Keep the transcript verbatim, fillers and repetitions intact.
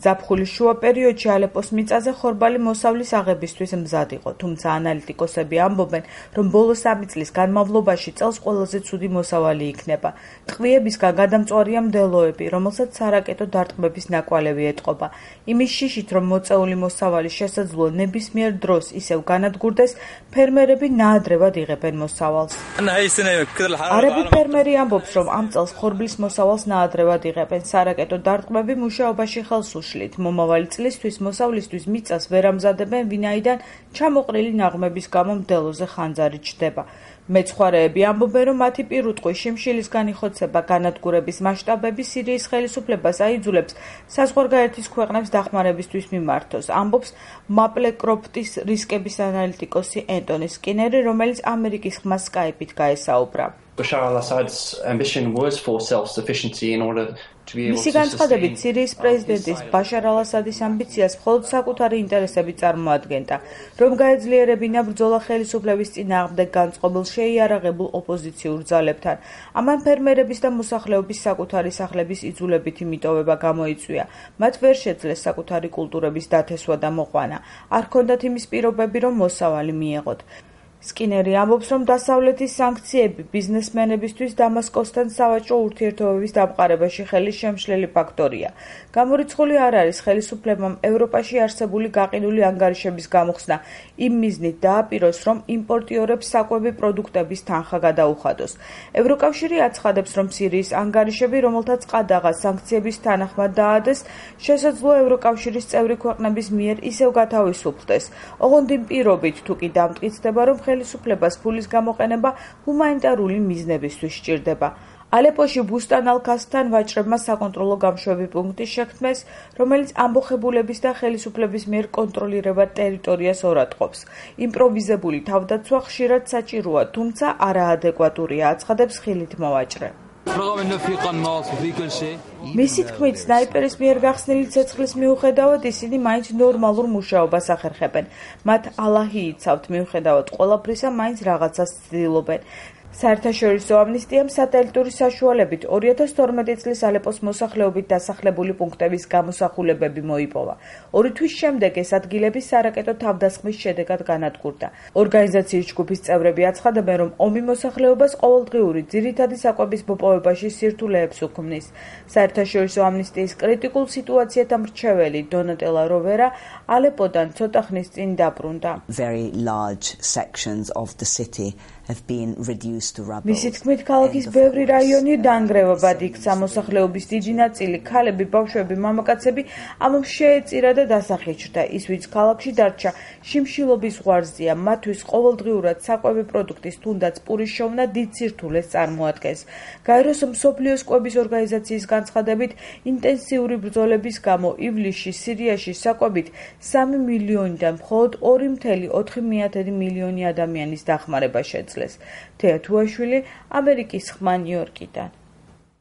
ზაფხულის შუა პერიოდში ალეპოს მიწაზე ხორბალი მოსავლის აღებისთვის მზად იყო, თუმცა ანალიტიკოსები ამბობენ, რომ ბოლო სამი წლის განმავლობაში წელს ყველაზე ცუდი მოსავალი იქნება. ტყვიებისგან გადამწვარია მდელოები, რომელსაც სარაკეტო დარტყმების ნაკვალევი ეტყობა. იმის შიშით, რომ მოწეული მოსავალი შესაძლოა ნებისმიერ დროს ისევ განადგურდეს, ფერმერები ნაადრევად იღებენ მოსავალს. არაბი ფერმერი ამბობს, რომ ამ წელს ხორბლის მოსავალს ნაადრევად იღებენ. სარაკეტო დარტყმები მუშაობაში ხელს უშლით. მომავალი წლისთვის მოსავლისთვის მიწას ვერ ამზადებენ, ვინაიდან ჩამოყრილი ნაღმების გამო მდელოზე ხანძარი ჩდება. მეცხვარეები ამბობენ, რომ მათი პირუტყვი შიმშილის განიხოცება განადგურების მასშტაბები სირიის ხელისუფლებას აიძულებს საზღვარგარეთის ქვეყნებს დახმარებისთვის მიმართოს, ამბობს მაპლეკროფტის რისკების ანალიტიკოსი ენტონი სკინერი, რომელიც ამერიკის ხმა სკაიპით გაესაუბრა. Bashar al-Assad's ambition was for self-sufficiency in order to be able მისი to განცხადებით, სირიის პრეზიდენტის ბაშარ ალ-ასადის ამბიციას მხოლოდ საკუთარი ინტერესები წარმოადგენდა, რომ გაეძლიერებინა ბრძოლა ხელისუფლების წინააღმდეგ განწყობილ შეიარაღებულ ოპოზიციურ ძალებთან. ამან ფერმერების და მოსახლეობის საკუთარი სახლების იძულებითი მიტოვება გამოიწვია. მათ ვერ შეძლეს საკუთარი კულტურების დათესვა და მოყვანა. არ ჰქონდათ იმის პირობები, რომ მოსავალი მიეღოთ. სკინერი ამბობს, რომ დასავლეთის სანქციები ბიზნესმენებისთვის დამასკოსთან სავაჭრო ურთიერთობების დამყარებაში ხელის შემშლელი ფაქტორია. გამორიცხული არ არის ხელისუფლებამ ევროპაში არსებული გაყიდული ანგარიშების გამოხსნა იმ მიზნით დააპიროს, რომ იმპორტიორებს საკვები პროდუქტების თანხა გადაუხადოს. ევროკავშირი აცხადებს, რომ სირიის ანგარიშები, რომელთაც ყადაღას სანქციების თანახმად დაადეს, შესაძლოა ევროკავშირის წევრი ქვეყნების მიერ ისევ გათავისუფლდეს. ოღონდ იმ პირობით, თუ კი დამტკიცდება, რომ ხელისუფლებას ფულის გამოყენება ჰუმანიტარული მიზნებისთვის სჭირდება. ალეპოში ბუსტან ალ-ქასთან ვაჭრებმა საკონტროლო გამშვები პუნქტი შექმნეს, რომელიც ამბოხებულების და ხელისუფლების მიერ კონტროლირებად ტერიტორიას ორატყობს. იმპროვიზებული თავდაცვა ხშირად საჭიროა, თუმცა არაადეკვატურია, აცხადებს ხილით მოვაჭრე. მისი თქმით, სნაიპერის მიერ გახსნილი ცეცხლის მიუხედავად ისინი მაინც ნორმალურ მუშაობას ახერხებენ. მათ ალაჰი იცავთ, მიუხედავად ყველაფრისა, მაინც რაღაცას ცდილობენ. საერთაშორისო ამნისტიამ სატელიტური საშუალებით ორი ათას თორმეტი წლის ალეპოს მოსახლეობით დასახლებული პუნქტების გამოსახულებები მოიპოვა. ორი თვის შემდეგ ეს ადგილები სარაკეტო თავდასხმის შედეგად განადგურდა. ორგანიზაციის ჯგუფის წევრები აცხადებენ, რომ ომი მოსახლეობას ყოველდღიური ძირითადი საკვების მოპოვებაში სირთულეებს უქმნის. საერთაშორისო ამნისტიის კრიტიკულ სიტუაციათა მრჩეველი დონატელა როვერა ალეპოდან ცოტა ხნის წინ დაბრუნდა. Very large sections of the city have been reduced to rubble. მისი თქმით, ქალაქის ბევრი რაიონი დანგრევებად იქცა, მოსახლეობის დიდი ნაწილი, ქალები, ბავშვები, მამაკაცები ამამ შეეწირა და დასახიჩრდა. ის, ვინც ქალაქში დარჩა, შიმშილობის ზღვარზეა, მათთვის ყოველდღიურად საკვები პროდუქტის თუნდაც პურის შოვნა დიდ სირთულეს წარმოადგენს. გაეროს მსოფლიოს კვების ორგანიზაციის განცხადებით, ინტენსიური ბრძოლების გამო ივლისში სირიაში საკვებით სამი მილიონიდან მხოლოდ ორი წუთი ოთხი მილიონი ადამიანის დახმარება შეძლეს. თეა თუაშვილი, ამერიკის ხმა, ნიუ-იორკიდან.